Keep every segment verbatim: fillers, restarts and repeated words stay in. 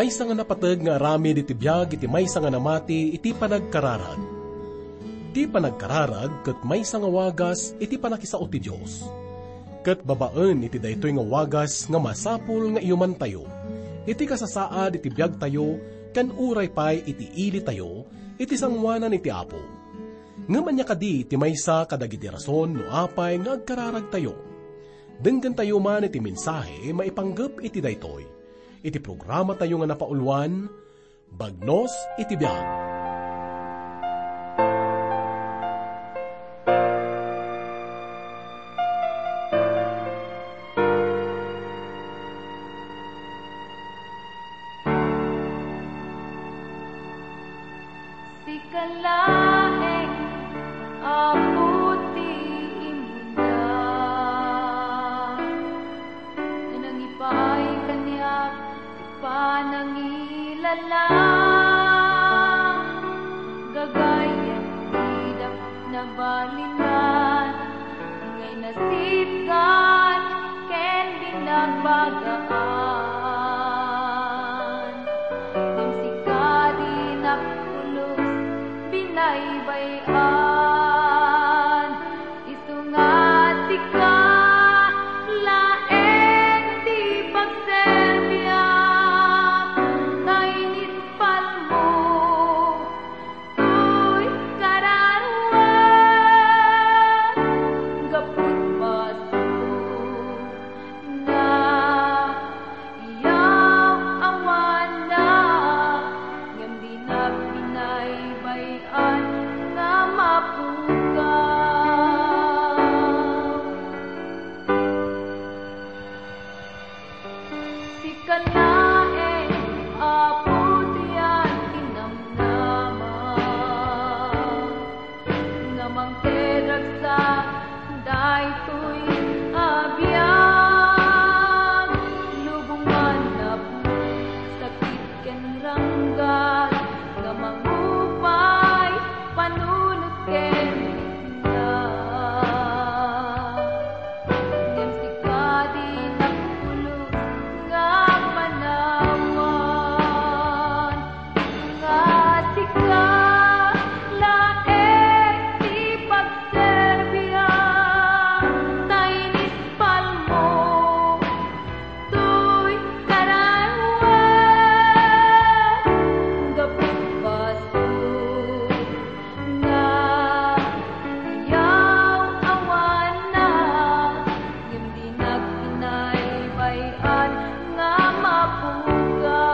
Maysa nga napateg nga aramid iti biag iti maysa nga namati iti panagkararag. Ti panagkararag ket maysa nga wagas iti pannakisao ti Dios. Ket babaen iti daytoy nga wagas nga masapul nga iyumantayo iti kasasaad iti biagtayo ken uray pay iti ilitayo iti sangoanan iti Apo. Ngem ania kadi ti maysa kadagiti rason no apay nga agkararagtayo? Denggentayo man iti mensahe maipanggep iti daytoy, iti programatayo nga napauluan, Bagnos iti Biag. Sika laeng, Apo, ti imunda. Nangipaay kaniak ti panangilala. Gagayyem ti dap-, nabalinan, ngay nasipgan ken binagbagaan. Ngem sika dinak pulos binaybay-an. Isu nga sika laeng ti pagserbiak, ta inispalmo toy kararuak, gapu ti basol nga iyaw-awannak, ngem dinak binaybay-an nga mapukaw. Sika laeng, Apo, ti agnamnama nga mangted ragsak daytoy a biag. Lubongan napno sakit ken ranggan nga mangupay panunot ken na. Ngem sika dinak pulos nga panawan. Nga sika laeng ti pagserbiak, ta inispalmo toy kararuak, gapu ti basol nga iyaw-awannak. Ngem dinak binaybay-an nga mapukaw.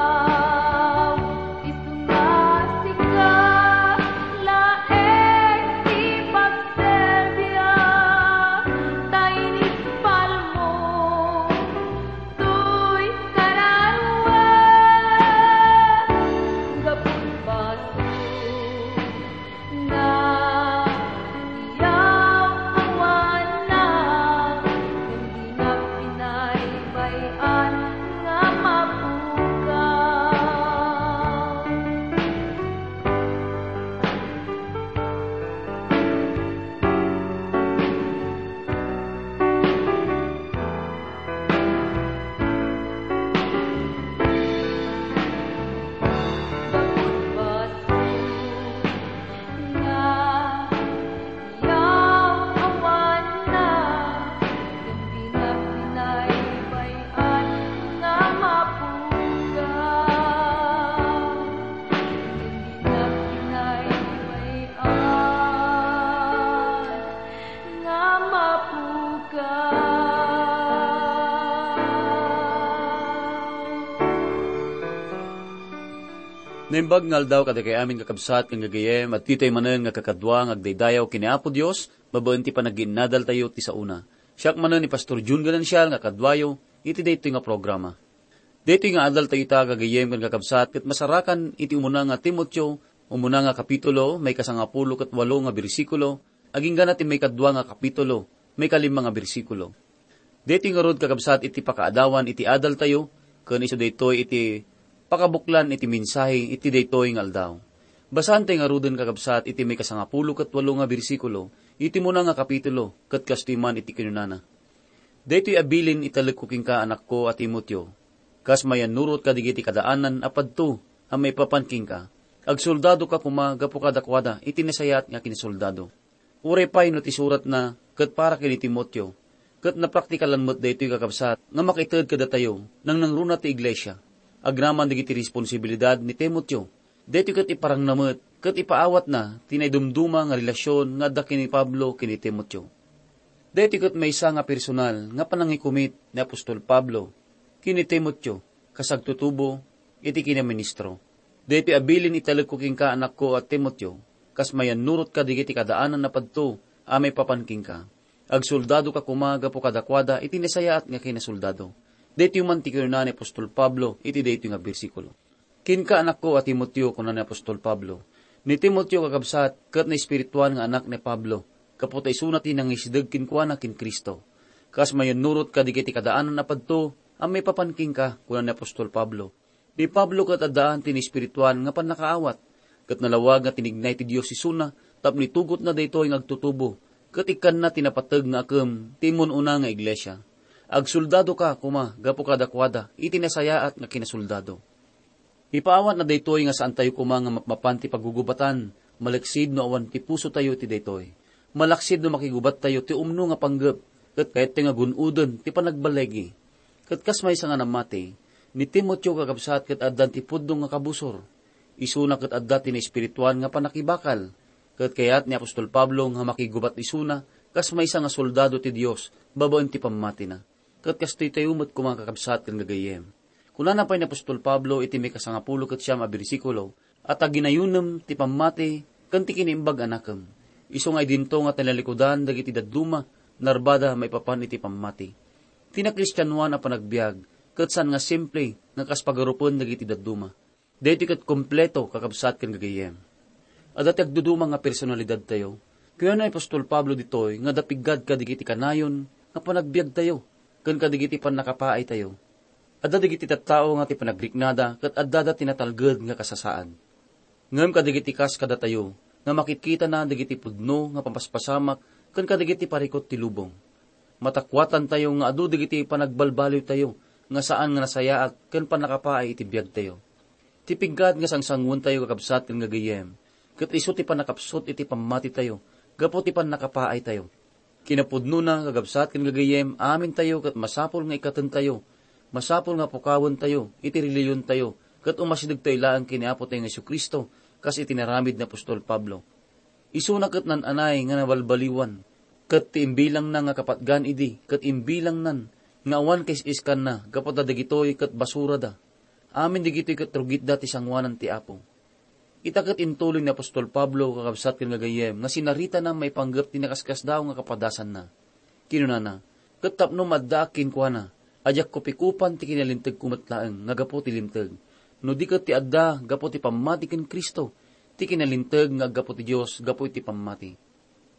Isu nga sika laeng ti pagserbiak, ta inispalmo toy kararuak, gapu ti basol nga iyaw-awannak, ngem dinak binaybay-an nga mapukaw. Gapu ti basol nga iyaw-awannak, ngem dinak binaybay-an nga mapukaw. Ngem dinak binaybay-an nga mapukaw. Naimbag nga aldaw kadagiti amin, kakabsat ken gagayyem, adtoy manen nga kakadua nga agdaydayaw ken ni Apo Dios, babaen ti panaginnadaltayo ti saona. Siak manen ni Pastor Jun Ganancial nga kaduayo iti daytoy nga programa. Daytoy nga adaltayo ita, gagayyem ken kakabsat, ket masarakan iti umuna nga Timoteo, umuna nga kapitulo, maikasangapulo ket walo nga bersikulo, agingga ti maikadua nga kapitulo, maikalima nga bersikulo. Daytoy ngarud, kakabsat, iti pakaadawan iti adaltayo, ken isu daytoy iti pakabuklan iti mensahe iti daytoy nga aldaw. Basaentayo ngaruden, kakabsat, iti maikasangapulo ket walo nga bersikulo iti umuna nga kapitulo, ket kastoy man iti kinunana. Daytoy a bilin italekko kenka, anakko a Timoteo, Kas mayannurot kadagiti kadaanan a padto a maipapan kenka, agsoldadoka koma gapu kadakuada iti nasayaat nga kinasoldado. Uray pay no ti suratna ket para ken ni Timoteo, ket napraktikalan met daytoy, kakabsat, nga makaited kadatayo, nangnangruna ti iglesia. Agraman dagiti responsibilidad ni Timoteo, daytoy ket iparangna met ket ipaawatna ti naidumduma nga relasion nga adda ken ni Pablo ken ni Timoteo. Daytoy ket maysa nga personal nga panangikumit ni apostol Pablo ken ni Timoteo kas agtutubo iti kinaministro. Daytoy a bilin italekko kenka, anakko a Timoteo, kas mayannurot kadagiti kadaanan a padto a maipapan kenka. Agsoldadoka koma gapu kadakuada iti nasayaat nga kinasoldado. Daytoy man ti kinuna ni apostol Pablo iti daytoy nga bersikulo. Kenka, anakko a Timoteo, kuna ni apostol Pablo. Ni Timoteo, kakabsat, ket naespirituan nga anak ni Pablo, gapu ta isuna ti nangisideg kenkuana ken Cristo. Kas mayannurot kadagiti kadaanan a padto a maipapan kenka, kuna ni apostol Pablo. Ni Pablo ket addaan ti naespirituan nga pannakaawat, ket nalawag nga tinignay ti Dios isuna tapno itugotna daytoy nga agtutubo, ket ikkanna ti napateg nga akem ti immun-una nga iglesia. Agsoldadoka koma gapu kadakuada iti nasayaat nga kinasoldado. Ipaawatna daytoy nga saantayo koma nga mapmapan ti pagugubatan, malaksid no awan ti pusotayo iti daytoy. Malaksid no makigubattayo ti umno nga panggep, ket kayatto nga gun-oden ti panagballigi. Ket kas maysa nga namati, ni Timoteo, kakabsat, ket addan ti pudno nga kabusor. Isuna ket adda ti naespirituan nga pannakibakal, ket kayat ni apostol Pablo nga makigubat isuna kas maysa nga soldado ti Dios babaen ti pammatina. Ket kastoy tayo met koma, kakabsat ken gagayyem. Kunana pay ni apostol Pablo iti maikasangapulo ket siam a bersikulo, "A ta ginayonem ti pammati ken ti kinaimbag a nakem. Isu nga idinto nga talnalikudan dagiti dadduma, narbada maipapan iti pammati." Ti nakristianoan a panagbiag ket saan nga simple nga kas pagarupen dagiti dadduma. Daytoy ket kompleto, kakabsat ken gagayyem. Adda ti agduduma nga personalidadtayo. Kuna ni apostol Pablo ditoy nga adda piggad kadagiti kanayon nga panagbiagtayo ken kadagiti pannakapaaytayo. Adda dagiti tattao nga ti panagriknada ket addada ti natalged nga kasasaad. Ngem kadagiti kas kadatayo nga makitkitana dagiti pudno nga papaspasamak ken kadagiti parikut ti lubong, matakuatantayo nga adu dagiti panagbalbaliwtayo nga saan nga nasayaat ken pannakapaay iti biagtayo. Ti piggad nga sangsanguentayo, kakabsat ken gagayyem, ket isu ti pannakapsut iti pammatitayo gapu ti pannakapaaytayo. Kinapudnona, kakabsat ken gagayyem, amintayo ket masapul nga ikkatentayo, masapul nga pukawentayo iti reliyontayo, ket umasidegtayo laeng ken ni Apotayo nga Jesu-Cristo kas iti inaramid ni apostol Pablo. Isuna ket nan-anay nga nabalbaliwan, ket ti imbilangna nga kapatgan idi ket imbilangnan nga awan kais-iskanna gapu ta dagitoy ket basurada. Amin dagitoy ket rugitda ti sanguanan ti Apo. Ita ket intuloy ni apostol Pablo, kakabsat ken gagayyem, nga sinaritana maipanggep ti nakaskasdaaw nga kapadasanna. Kinunana, "Ket tapno maaddaak kenkuana, a diak kupikupan ti kinalintegko met laeng nga gapu ti linteg, no di ket ti adda gapu ti pammati ken Cristo, ti kinalinteg nga aggapu ti Dios gapu iti pammati."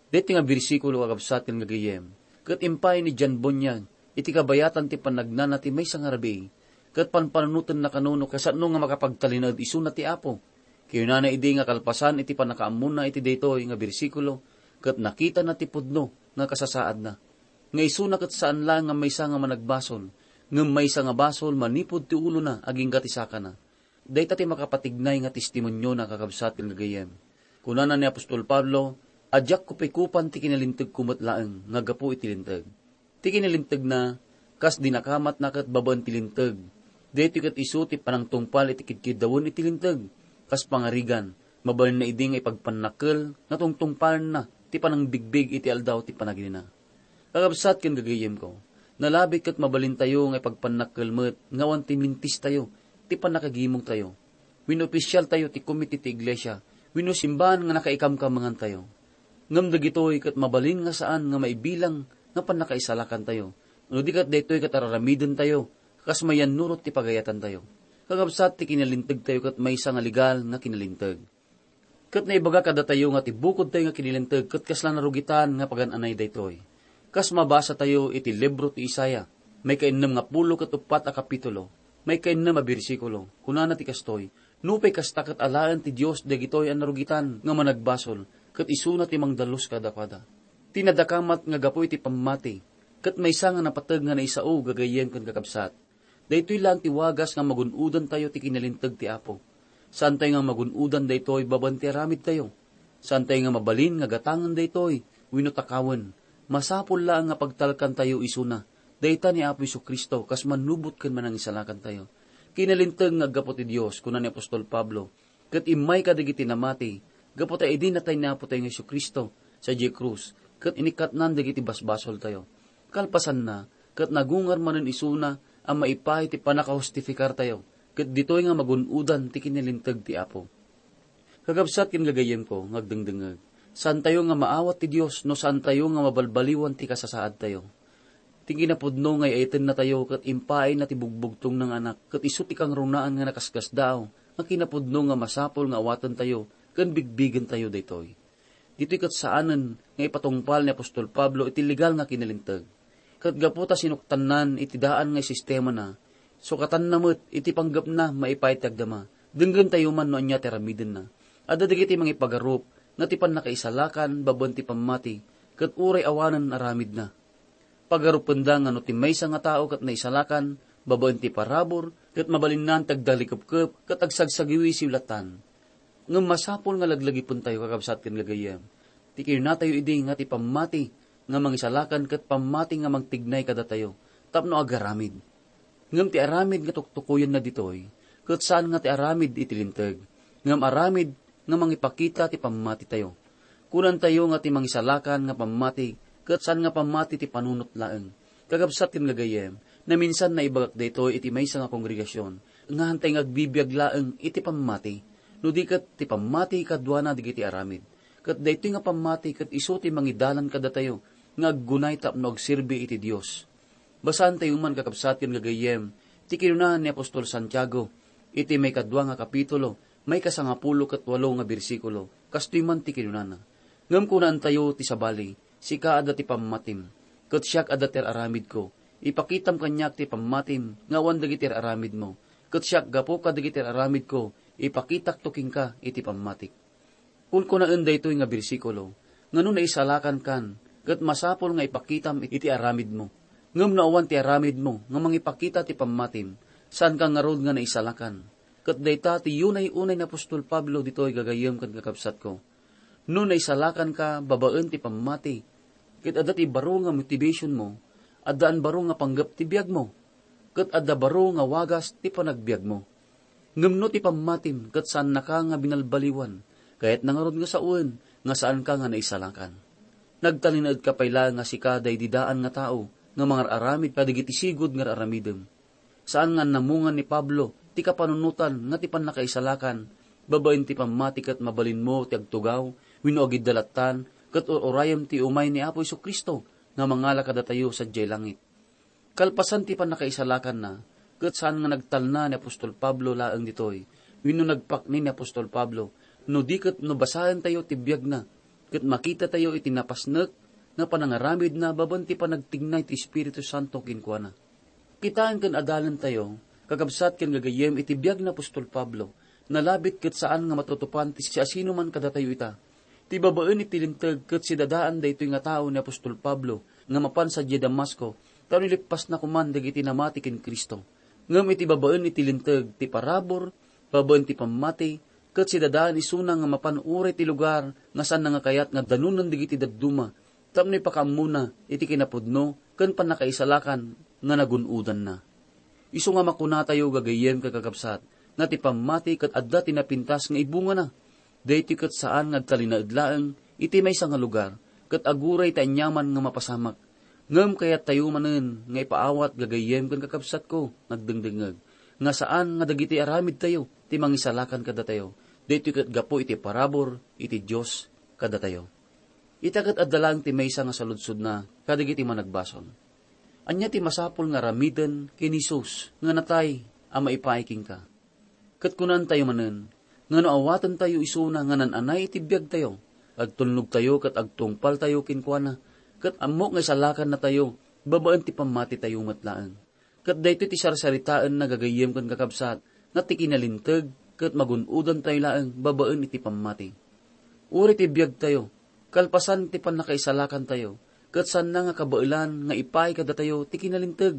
Daytoy nga bersikulo, kakabsat ken gagayyem, ket impay ni John Bunyan iti kabayatan ti pannagnana ti maysa nga rabii, ket panpanunotenna kano no kasano nga makapagtalinaed isuna ti Apo. Kinunana idi nga kalpasan iti pannakaammona iti daytoy nga bersikulo, ket nakitana ti pudno nga kasasaadna, nga isuna ket saan laeng nga maysa nga managbasol, ngem maysa nga basol manipud ti ulona agingga ti sakana. Dayta ti makapatignay nga testimoniona, kakabsat ken gagayyem. Kunana ni apostol Pablo, "A diak kupikupan ti kinalintegko met laeng nga gapu iti linteg." Ti kinalintegna, kas dinakamatna ket babaen ti linteg. Daytoy ket isu ti panangtungpal iti kidkiddawen iti linteg. Kas pangarigan, mabalinna idi nga ipagpannakkel nga tungtungpalenna ti panangbigbig iti aldaw ti panaginina. Kakabsat ken gagayyemko, nalabit ket mabalintayo nga ipagpannakkel met nga awan ti mintistayo, ti pannakagimongtayo. Wenno opisyaltayo ti komite ti iglesia, wenno simbahan nga nakaikamkamangantayo. Ngem dagitoy ket mabalin nga saan nga maibilang nga pannakaisalakantayo, no di ket daytoy ket araramidentayo kas mayannurot ti pagayatantayo. Kakabsat, ti kinalintegtayo ket maysa nga legal nga kinalinteg. Ket naibaga kadatayo nga ti bukodtayo nga kinalinteg ket kasla narugitan nga pagan-anay daytoy. Kas mabasatayo iti libro ti Isaiah, maikainnem nga pulo ket uppat a kapitulo, maikainnem a bersikulo, kunana ti kastoy, "Nupay kasta ket alaen ti Dios dagitoy a narugitan nga managbasol, ket isuna ti mangdalus kadakuada." Ti nadakamat nga gapu iti pammati, ket maysa nga napateg nga naisao, gagayyem ken kakabsat. Daytoy laeng ti wagas nga magun-odantayo ti kinalinteg ti Apo. Saantayo nga magun-odan daytoy babaen ti aramidtayo. Saantayo nga mabalin nga gatangen daytoy wenno takawen. Masapul laeng nga pagtalkantayo isuna dayta ni Apo Jesu-Cristo kas mannubot ken manangisalakantayo. Kinalinteg nga aggapu ti Dios, kuna ni apostol Pablo, ket immay kadagiti namati, gapu ta idi natay ni Apotayo nga Jesu-Cristo sadiay krus, ket inikkatnan dagiti basbasoltayo. Kalpasanna, ket nagungar manen isuna a maipaay ti pannakahustifikartayo, ket ditoy nga magun-odan ti kinalinteg ti Apo. Kakabsat ken gagayyemko nga agdengdengngeg, saantayo nga maawat ti Dios no saantayo nga mabalbaliwan ti kasasaadtayo. Ti kinapudno nga ay-ayatennatayo ket impaayna ti bugbugtongna nga Anak, ket isu ti kangrunaan nga nakasdaaw nga kinapudno nga masapul nga awatentayo ken bigbigentayo daytoy. Ditoy ket saanen nga ipatungpal ni apostol Pablo iti legal nga kinalinteg. Ket gapu ta sinuktannan iti daan nga sistemana, sukatanna met iti panggepna maipaay ti agdama. Denggentayo man no ania ti aramidenna. Adda dagiti mangipagarup nga ti pannakaisalakan babaen ti pammati, ket uray awanen aramidna. Pagarupenda nga no ti maysa nga tao ket naisalakan babaen ti parabur, ket mabalinnan ti agdalikepkep ket agsagsagiwisiw lattan. Ngem masapul nga laglagipentayo, kakabsat ken gagayyem, ti kinunatayo idi nga ti pammati nga mangisalakan ket pammati nga mangtignay kadatayo tapno agaramid. Ngem ti aramid nga tuktukoyenna ditoy, ket saan nga ti aramid iti linteg, ngem aramid nga mangipakita ti pammatitayo. Kunantayo nga ti mangisalakan nga pammati, ket saan nga pammati ti panunot laeng. Kakabsat ken gagayyem, naminsan naibagak daytoy iti maysa nga kongregasion, nga hantay nga agbibiag laeng iti pammati, no di ket ti pammati kaduana dagiti aramid. Ket daytoy nga pammati ket isu ti mangidalan kadatayo nga aggunay tapno agserbi iti Dios. Basaentayo man, kakabsat ken gagayyem, ti kinuna ni apostol Santiago iti maikadua nga kapitulo, maikasangapulo ket walo nga bersikulo. Kastoy man ti kinunana, "Ngem kunaentayo ti sabali, sika adda ti pammatim, ket siak adda ti ar-aramidko. Ipakitam kaniak ti pammatim nga awan dagiti ar-aramidmo, ket siak gapu kadagiti ar-aramidko, ipakitakto kenka iti pammatik." Kunkunaen daytoy nga bersikulo, nga no naisalakankan, ket masapul nga ipakitam iti aramidmo. Ngem no awan ti aramidmo nga mangipakita ti pammatim, saanka ngarud nga naisalakan. Ket dayta ti yunay-unay ni apostol Pablo ditoy, gagayyem ken kakabsatko. No naisalakanka babaen ti pammati, ket adda ti baro nga motivationmo, addaan baro nga panggep ti biagmo, ket adda baro nga wagas ti panagbiagmo. Ngem no ti pammatim ket saannaka nga binalbaliwan, kayatna ngarud nga sawen nga saanka nga naisalakan. Nagtalinaedka pay laeng nga sika daydi daan nga tao nga mangar-aramid kadagiti sigud nga ar-aramidem. Saan nga annamungan ni Pablo ti kapanunotan nga ti pannakaisalakan babaen ti pammati ket mabalinmo ti agtugaw wenno agiddalattan ket ur-urayem ti umay ni Apo Jesu-Cristo nga mangala kadatayo sadiay langit. Kalpasan ti pannakaisalakanna, ket saan nga nagtalna ni apostol Pablo laeng ditoy, wenno nagpakni ni apostol Pablo, no di ket no basaentayo ti biagna, ket makitatayo iti napasnek nga panangaramidna babaen ti panagtignay ti Espiritu Santo kenkuana. Kitaen ken adalentayo, kakabsat ken gagayyem, iti biag ni apostol Pablo, nalabit ket saan nga matutupan ti siasinoman kadatayo ita. Ti babaen iti linteg ket sidadaan daytoy nga tao ni apostol Pablo nga mapan sadiay Damasco, ta nilippasna koman dagiti namati ken Cristo. Ngem iti babaen iti linteg ti parabur, babaen ti pammati, ket sidadaan isuna nga mapan uray ti lugar nga saanna nga kayat nga danunen dagiti dadduma, tapno ipakaammona iti kinapudno ken pannakaisalakan nga nagun-odanna. Isu nga makunatayo, gagayyem ken kakabsat, nga ti pammati ket adda ti napintas nga ibungana. Daytoy ket saan nga agtalinaed laeng iti maysa nga lugar, ket aguray ti aniaman nga mapasamak. Ngem kayattayo manen nga ipaawat, gagayyem ken kakabsatko nga agdengdengngeg, nga saan nga dagiti aramidtayo ti mangisalakan kadatayo. Daytoy ket gapu iti parabur iti Dios kadatayo. Ita ket adda laeng ti maysa nga saludsodna kadagiti managbasol. Ania ti masapul nga aramiden ken Jesus nga natay a maipaay kenka? Ket kunantayo manen nga no awatentayo isuna nga nan-anay iti biagtayo, agtulnogtayo ket agtungpaltayo kenkuana, ket ammok nga isalakannatayo babaen ti pammatitayo met laeng. Ket daytoy ti sarsaritaenna, gagayyem ken kakabsat, nga ti kinalinteg ket magun-odantayo laeng babaen iti pammati. Uray ti biagtayo, kalpasan ti pannakaisalakantayo, ket saanna nga kabaelan nga ipaay kadatayo ti kinalinteg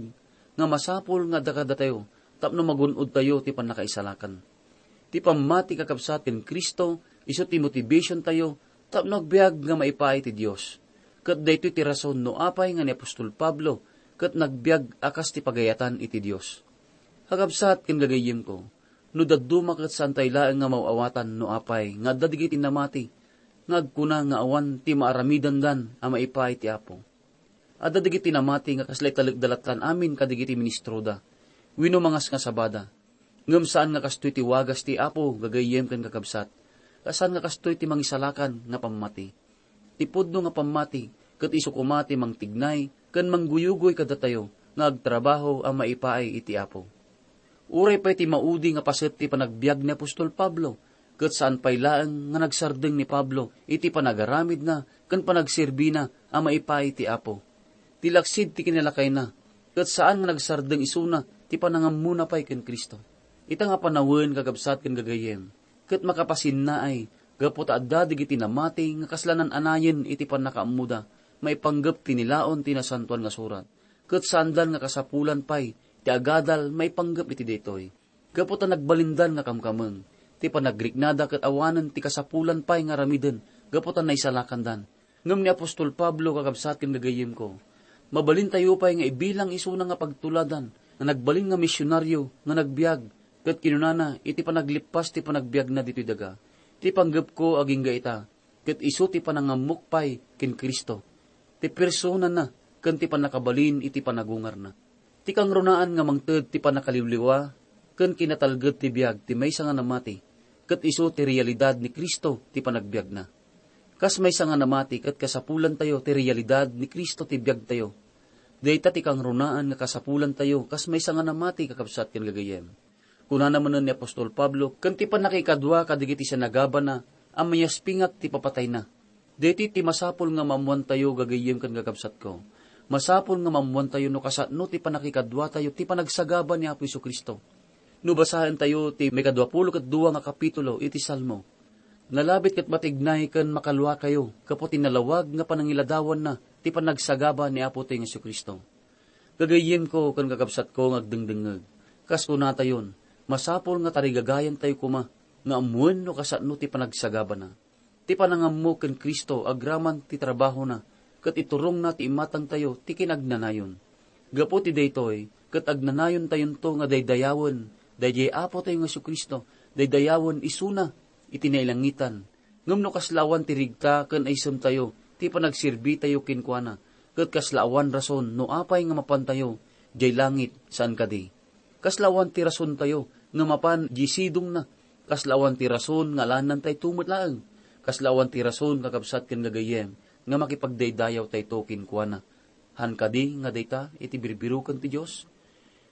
nga masapul nga adda kadatayo tapno magun-odtayo ti pannakaisalakan. Ti pammati, kakabsat, ken Cristo isu ti motivationtayo tapno agbiag nga maipaay ti Dios. Ket daytoy ti rason no apay nga ni apostol Pablo ket nagbiag a kas ti pagayatan iti Dios. Kakabsat ken gagayyemko, no dadduma ket saantay laeng nga maaw-awatan no apay nga adda dagiti namati nga agkuna nga awan ti maaramidandan a maipaay ti Apo. Adda dagiti namati nga kasla italekda lattan amin kadagiti ministroda wenno mangasngasabada. Ngem saan nga kastoy ti wagas ti Apo, gagayyem ken kakabsat. Saan nga kastoy ti mangisalakan nga pammati. Ti pudno nga pammati ket isu koma ti mangtignay ken mangguyugoy kadatayo nga agtrabaho a maipaay iti Apo. Uray pay ti maudi nga paset ti panagbiag ni apostol Pablo, ket saan pay laeng nga nagsardeng ni Pablo iti panagaramidna ken panagserbina a maipaay ti Apo. Ti laksid ti kinalakayna, ket saan nga nagsardeng isuna ti panangammona pay ken Cristo. Ita nga panawen, kakabsat ken gagayyem, ket makapasinnaay gapu ta adda dagiti namati nga kasla nan-anayen iti pannakaammoda maipanggep ti nilaon ti Nasantoan nga Surat, ket saandan nga kasapulan pay ti agadal maipanggep iti daytoy. Gapu ta nagbalindan nga kamkameng ti panagriknada ket awanen ti kasapulan pay nga aramiden gapu ta naisalakandan. Ngem ni apostol Pablo, kakabsat ken gagayyemko, mabalintayo pay nga ibilang isuna nga pagtuladan nga nagbalin nga misionaryo nga nagbiag, ket kinunana iti panaglippas ti panagbiagna ditoy daga, "Ti panggepko agingga ita, ket isu ti panangammok pay ken Cristo, ti personana ken ti pannakabalin iti panagungarna." Ti kangrunaan nga mangted ti pannakaliwliwa ken kinatalged ti biag ti maysa nga namati, ket isu ti realidad ni Cristo ti panagbiagna. Kas maysa nga namati ket kasapulantayo ti realidad ni Cristo ti biagtayo. Dayta ti kangrunaan nga kasapulantayo kas maysa nga namati, kakabsat ken gagayyem. Kunana manen ni apostol Pablo ken ti pannakaikadua kadagiti sinagabana a mayaspingak ti papatayna. Daytoy ti masapul nga maammoantayo, gagayyem ken kakabsatko. Masapul nga maammoantayo no kasano ti pannakikaduatayo ti panagsagaba ni Apo Jesu-Cristo. No basaentayo ti maikadua pulo ket dua nga kapitulo iti Salmo, nalabit ket matignay ken makaluakayo gapu ti nalawag nga panangiladawanna ti panagsagaba ni Apotayo nga Jesu-Cristo. Gagayyemko ken kakabsatko nga agdengdengngeg, kas kunatayon, masapul nga tarigagayantayo koma nga ammoen no kasano ti panagsagabana. Ti panangammo ken Cristo agraman ti trabahona ket iturongna ti imatangtayo ti kinagnanayon. Gapu ti daytoy, ket agnanayontayonto nga daydayawen daydiay Apotayo nga Jesu-Cristo, daydayawen isuna iti nailangitan. Ngem no kasla awan ti rigta ken aysemtayo ti panagserbitayo kenkuana, ket kasla awan rason no apay nga mapantayo diay langit, saan kadi? Kasla awan ti rasontayo nga mapan diay sidongna, kasla awan ti rason nga alannantayto met laeng, kasla awan ti rason, kakabsat ken gagayyem, nga makipagdaydayawtayto kenkuana. Han kadi nga dayta iti birbiroken ti Dios?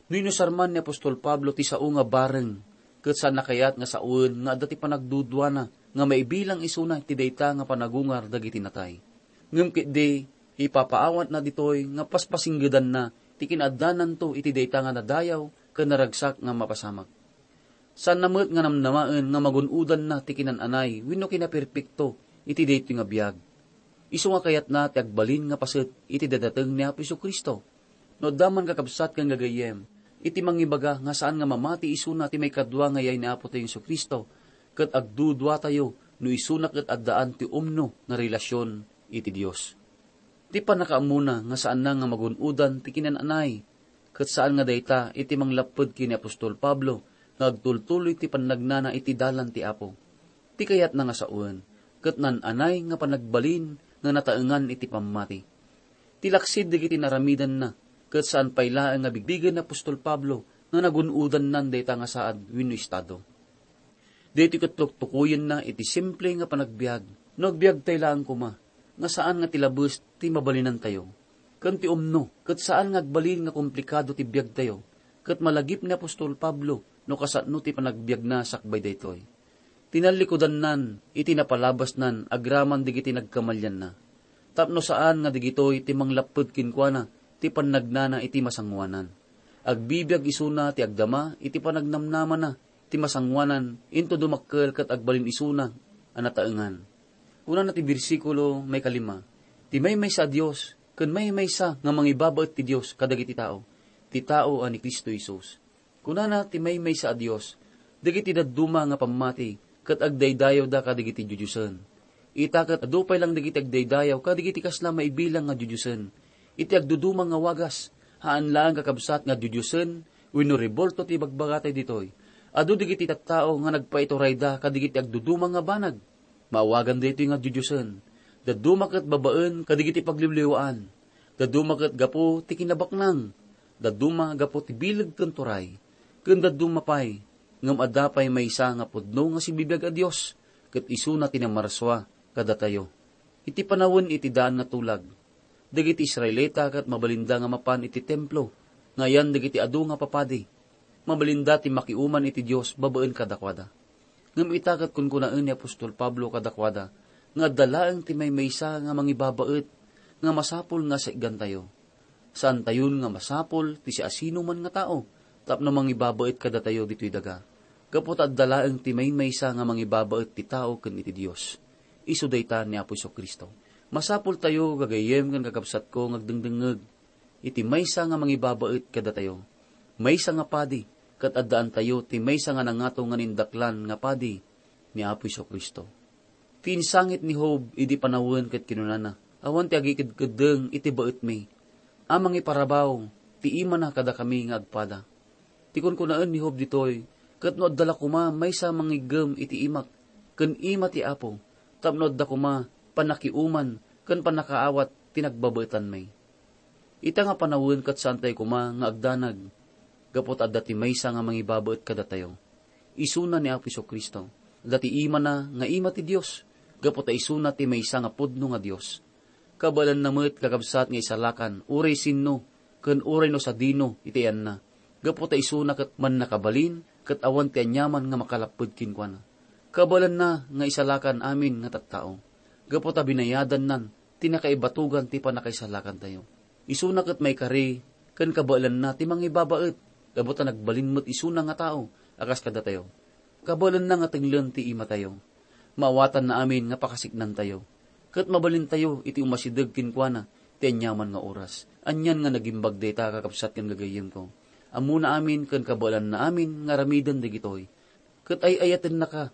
No inusar man ni apostol Pablo ti sao nga bareng, ket saanna kayat nga sawen nga adda ti panagduduana nga maibilang isuna ti dayta nga panagungar dagiti natay. Ngem ketdi, ipapaawatna ditoy nga paspasinggedanna ti kinaaddananto iti dayta nga nadayaw ken naragsak nga mapasamak. Saanna met nga namnamaen nga magun-odanna ti kinan-anay wenno kinaperpekto iti daytoy nga biag. Isu nga kayatna ti agbalin nga paset iti dadateng ni Apo Jesu-Cristo. No adda man, kakabsat ken gagayyem, iti mangibaga nga saan nga mamati isuna ti maikadua nga yay ni Apotayo Jesu-Cristo, ket agduduatayo no isuna ket addaan ti umno nga relasion iti Dios. Ti pannakaammona nga saanna nga magun-odan ti kinan-anay, ket saan nga dayta iti manglapped ken ni apostol Pablo nga agtultuloy ti pannagnana iti dalan ti Apo. Ti kayatna nga sawen, ket nan-anay nga panagbalin nga nataengan iti pammati. Ti laksid dagiti naramidanna, ket saan pay laeng nga bigbigen ni apostol Pablo nga nagun-odannan dayta nga saad wenno estado. Daytoy ket tuktukoyenna iti simple nga panagbiag. No agbiagtay laeng koma, nga saan nga ti labes ti mabalinantayo, ken ti umno, ket saan nga agbalin nga komplikado ti biagtayo, ket malagip ni apostol Pablo no kasano ti panagbiagna sakbay daytoy. Tinallikudannan iti napalabasnan agraman dagiti nagkamalianna, tapno saan nga dagitoy ti manglapped kenkuana ti pannagnana iti masangoanan. Agbibiag isuna ti agdama iti panagnamnamana ti masangoanan inton dumakkel ket agbalin isuna a nataengan. Kunana ti bersikulo maikalima, "Ti maymaysa a Dios ken maymaysa nga mangibabaet ti Dios kadagiti tao, ti tao a ni Cristo Jesus. Kunana ti maymaysa a Dios, dagiti dadduma nga pammati ket agdaydayawda kadagiti didiosen. Ita ket adu pay lang dagiti agdaydayaw kadagiti kasla maibilang nga didiosen. Iti agduduma nga wagas, haan laeng kakabsat nga didiosen wenno rebulto ti ibagbagatayo ditoy. Adu dagiti tattao nga nagpaiturayda kadagiti agduduma nga banag. Maawagan daytoy nga didiosen. Dadduma ket babaen kadagiti pagliwliwaan. Dadduma ket gapu ti kinabaknang. Dadduma gapu ti bileg ken turay. Ken dadduma pay, ngem adda pay maysa nga pudno nga sibibiag a Dios, ket isuna ti namarsua kadatayo. Iti panawen iti daan nga tulag, dagiti Israelita ket mabalinda nga mapan iti templo nga ayan dagiti adu nga papadi. Mabalinda ti makiuman iti Dios babaen kadakuada. Ngem ita ket kunkunaen ni apostol Pablo kadakuada nga adda laeng ti maymaysa nga mangibabaet nga masapul nga saiggantayo. Saantayon nga masapul ti siasinoman nga tao tapno mangibabaet kadatayo ditoy daga, gapu ta adda laeng ti maymaysa nga mangibabaet ti tao ken iti Dios. Isu dayta ni Apo Jesu-Cristo. Masapultayo, gagayyem ken kakabsatko, nga agdengdengngeg iti maysa nga mangibabaet kadatayo. Maysa nga padi, ket addaantayo ti maysa nga nangato nga nindaklan nga padi ni Apo Jesu-Cristo. Ti insangit ni Job idi panawen ket kinunana, "Awan ti agikedkeddeng iti baetmi a mangiparabaw ti imana kadakami nga agpada." Ti kunkunaen ni Job ditoy, ket no adda la koma maysa mangiggem iti imak ken ima ti Apo, tapno adda koma pannakiuman ken pannakaawat ti nagbabaetanmi. Ita nga panawen ket saantayo koma nga agdanag, gapu ta adda ti maysa nga mangibabaet kadatayo. Isuna ni Apo Jesu-Cristo. Adda ti imana nga ima ti Dios, gapu ta isuna ti maysa nga pudno nga Dios. Kabaelanna met, kakabsat, nga isalakan uray sinno ken uray no sadino iti ayanna, gapu ta isuna ket mannakabalin ket awan ti aniaman nga makalapped kenkuana. Kabaelanna nga isalakan amin nga tattao, gapu ta binayadannan ti nakaibatogan ti pannakaisalakantayo. Isuna ket maikari ken kabaelanna ti mangibabaet, gapu ta nagbalin met isuna nga tao a kas kadatayo. Kabaelanna nga tenglen ti imatayo. Maawatanna amin nga pakasiknantayo, ket mabalintayo iti umasideg kenkuana ti aniaman nga oras. Anian nga nagimbag dayta, kakabsat ken gagayyemko. Ammona amin ken kabaelanna amin nga aramiden dagitoy. Ket ay-ayatennaka,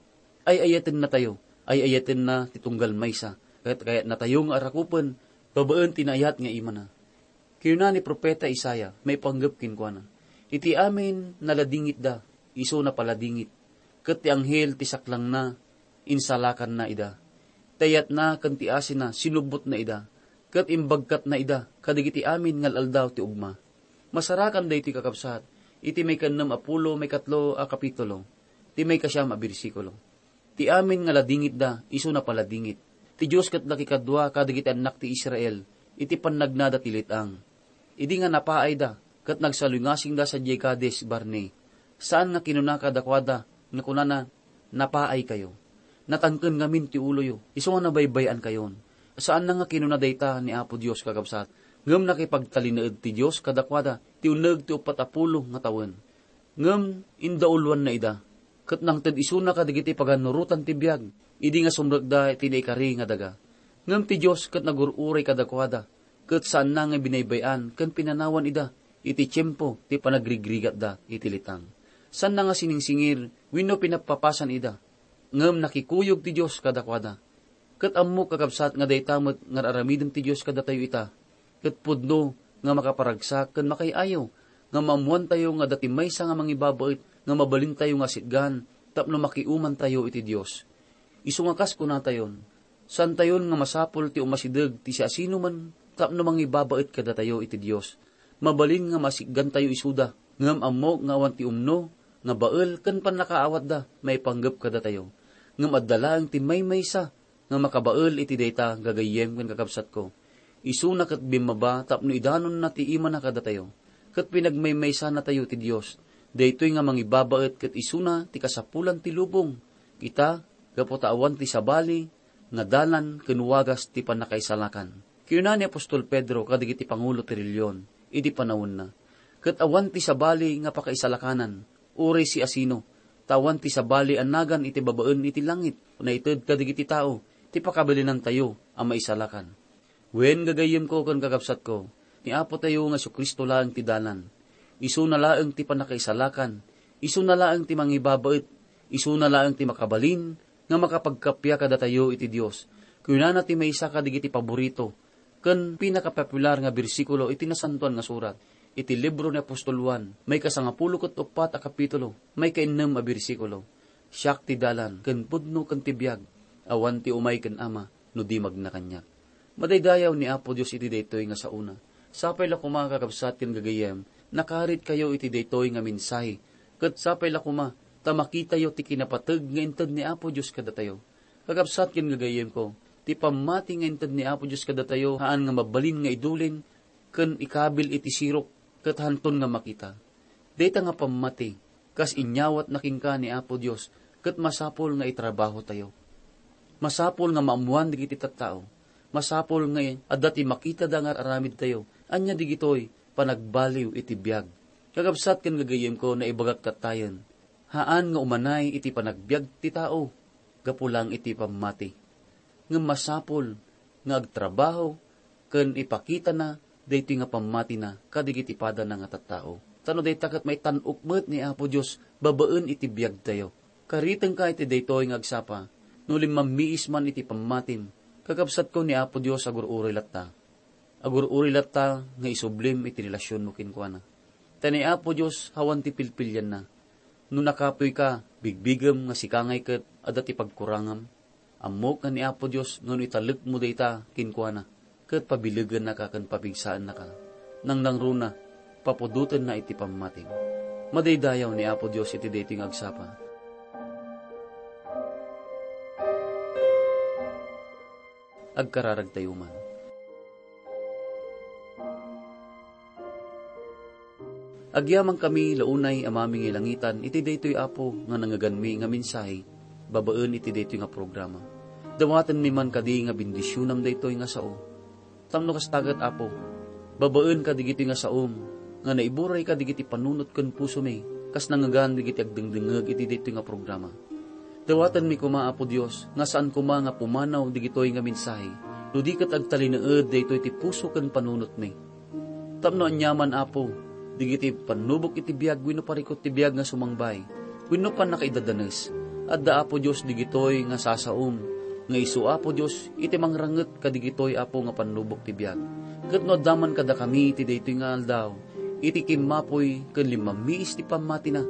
ay-ayatennatayo, ay-ayatenna ti tunggal maysa, ket kayatnatayo nga arakupen babaen ti naayat nga imana. Kinuna ni profeta Isaiah maipanggep kenkuana, "Iti amin naladingitda, isu napaladingit, ket ti anghel ti saklangna insalakanna ida. Ti ayatna ken ti asina sinubbotna ida, ket imbagkatna ida kadagiti amin nga al-aldaw ti ugma." Masarakan daytoy, kakabsat, iti maikannam a pulo maikatlo a kapitulo, ti maikasiam a bersikulo. Ti amin nga ladingitda, isu napaladingit. Ti Dios ket nakikadua kadagiti annak ti Israel iti pannagnada ti let-ang. Idi nga napaayda ket nagsaluy ngasingda sadiay Kades Barnea, saan nga kinuna kadakuada nga kunana, "Napaaykayo. Natangken ngamin ti uloyo, isu nga nabaybay-ankayon." Saanna nga kinuna dayta ni Apo Dios, kakabsat, ngem nakipagtalinaed ti Dios kadakuada ti uneg ti uppat a pulo nga tawen. Ngem indauluanna ida, ket nangted isuna kadagiti pagannurotan ti biag, idi nga sumrekda iti naikari nga daga. Ngem ti Dios ket nagur-uray kadakuada, ket saanna nga binaybay-an ken pinanawan ida iti tiempo ti panagrigrigatda iti letang. Saanna nga siningsingir wenno pinappapasan ida, ngem nakikuyog ti Dios kadakuada. Ket ammok, kakabsat, nga dayta met nga ar-aramiden ti Dios kadatayo ita, ket pudno nga makaparagsak ken makay-ayo nga maammoantayo nga adda ti maysa nga mangibabaet nga mabalintayo nga asitgan tapno makiumantayo iti Dios. Isu nga kas kunatayon, saantayon nga masapul ti umasideg ti siasinoman tapno mangibabaet kadatayo iti Dios. Mabalin nga maasitgantayo isuda, ngem ammok nga awan ti umno nga bael ken pannakaawatda maipanggep kadatayo. Ngem adda laeng ti maymaysa nga makabael iti dayta, gagayyem ken kakabsatko. Isuna ket bimmaba tapno idanonna ti imana kadatayo, ket pinagmaymaysanatayo ti Dios. Daytoy nga mangibabaet ket isuna ti kasapulan ti lubong. Ita, gapu ta awan ti sabali nga dalan ken wagas ti pannakaisalakan. Kinuna ni apostol Pedro kadagiti pangulo ti relihion idi panawenna, "Ket awan ti sabali nga pakaisalakanan, uray siasino, ta awan ti sabali a nagan iti babaen iti langit, naited kadagiti tao, ti pakabilinantayo a maisalakan." Wen, gagayyemko ken kakabsatko, ni Apotayo nga Jesu-Cristo laeng ti dalan. Isuna laeng ti pannakaisalakan, isuna laeng ti mangibabaet, isuna laeng ti makabalin nga makapagkappia kadatayo iti Dios. Kunana ti maysa kadagiti paborito ken pinakapopular nga bersikulo iti Nasantoan nga Surat, iti libro ni apostol Juan, maikasangapulo ket uppat a kapitulo, maikainnem a bersikulo, "Siak ti dalan, ken pudno, ken ti biag. Awan ti umay ken Ama, no di magna kaniak." Madaydayaw ni Apo Dios iti daytoy nga saona. Sapay la koma, kakabsat ken gagayyem, nakaritkayo iti daytoy nga mensahe. Ket sapay la koma, ta makitayo ti kinapateg nga inted ni Apo Dios kadatayo. Kakabsat ken gagayyemko, ti pammati nga inted ni Apo Dios kadatayo, haan nga mabalin nga idulin ken ikabil iti sirok ket hanton nga makita. Dayta nga pammati, kas inyawatna kenka ni Apo Dios, ket masapul nga itrabahotayo. Masapul nga maammoan dagiti tattao. Masapul nga adda ti makitada nga ar-aramidtayo. Ania digitoy? Panagbaliw iti biag. Kakabsat ken gagayyemko, naibagak tattayen, haan nga umanay iti panagbiag ti tao gapu lang iti pammati. Ngem masapul nga agtrabaho ken ipakitana daytoy nga pammatina kadagiti padana nga tattao. Ta no dayta ket maitan-ok met ni Apo Dios babaen iti biagtayo. Karitengka iti daytoy nga agsapa, no limmammiis man iti pammatim, kakabsatko, ni Apo Dios agur-uray latta. Agur-uray latta nga isublim iti relasionmo kenkuana. Ta ni Apo Dios awan ti pilpilianna. No nakapuy ka, bigbigem nga sika ngay ket adda ti pagkurangam. Ammok nga ni Apo Dios nga no italekmo dayta kenkuana, ket pabilegennaka ken papigsaennaka. Nangnangruna, papudotenna iti pammatim. Madaydayaw ni Apo Dios iti daytoy nga agsapa. Agkararagtayo man. Agyamankami la unay a mamingay langitan iti daytoy, Apo, nga nangngeganmi nga mensahe babaen iti daytoy nga programa. Dawatenmi man kadi nga bendisionam daytoy nga sao. Tapno kasta ket, Apo, babaen kadigitoy nga saom nga naiburay kadigiti panunot ken pusomi, kas nangngegan dagiti agdengdengngeg iti daytoy nga programa. Dawatenmi koma, Apo Dios, nga saan koma nga pumanaw digitoy nga mensahe, no di ket agtalinaed daytoy ti puso ken panunotmi. Tapno aniaman, Apo, digiti pannubok iti biag wenno parikut ti biag nga sumangbay wenno pannakaidadanes, adda, Apo Dios, digitoy nga sasaom nga isu, Apo Dios, iti mangranget kadigitoy, Apo, nga pannubok ti biag. Ket no adda man kadakami iti daytoy nga aldaw, iti kimmapuy ken limmammiis ti pammatina,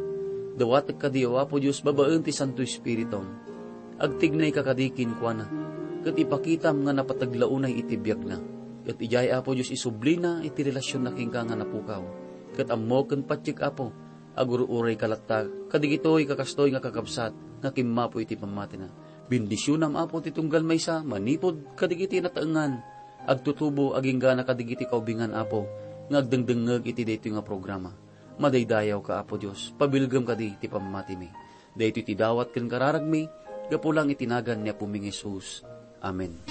dawatek kadi, O Apo Dios, babaen ti Santo Espiritum. Agtignayka kadi kenkuana, ket ipakitam nga napateg la unay iti biagna. Ket idiay, Apo Dios, isublina iti relasionna kenka nga napukaw. Ket ammok ken patiek, Apo, agur-urayka latta kadigitoy kakastoy nga kakabsat nga kimmapuy iti pammatina. Bendisionam, Apo, ti tunggal maysa manipud kadigiti nataengan, agtutubo agingga kadigiti kaubingan, Apo, nga agdengdengngeg iti daytoy nga programa. Madaydayawka, Apo Dios, pabilgem kadi ti pammatimi. Daytoy ti dawat ken kararagmi, gapu lang iti nagan ni Apomi nga Jesus. Amen.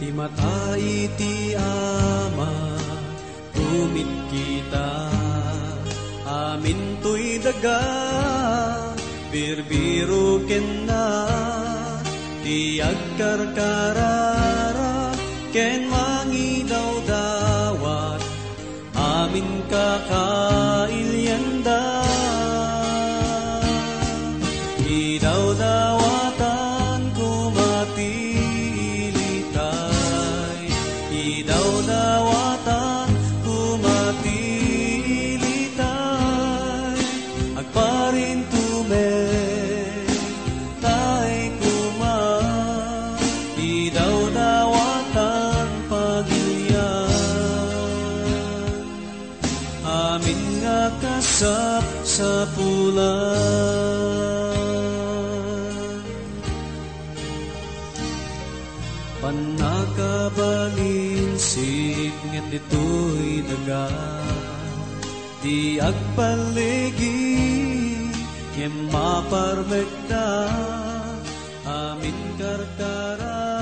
Ti mata iti Ama, tumitkita, amin toy daga, birbiro kenna, ti agkarkararag ken mangidawdawat, amin kakailianda. Idawdawatan koma ti ilitay, idawdawatan koma ti ilitay, agparintumek tay koma, idawdawatan pagilian, amin nga kasapsapulan. Pannakabalin sipnget ditoy daga, ti agpalligi, ngem maparmekda, amin karkara.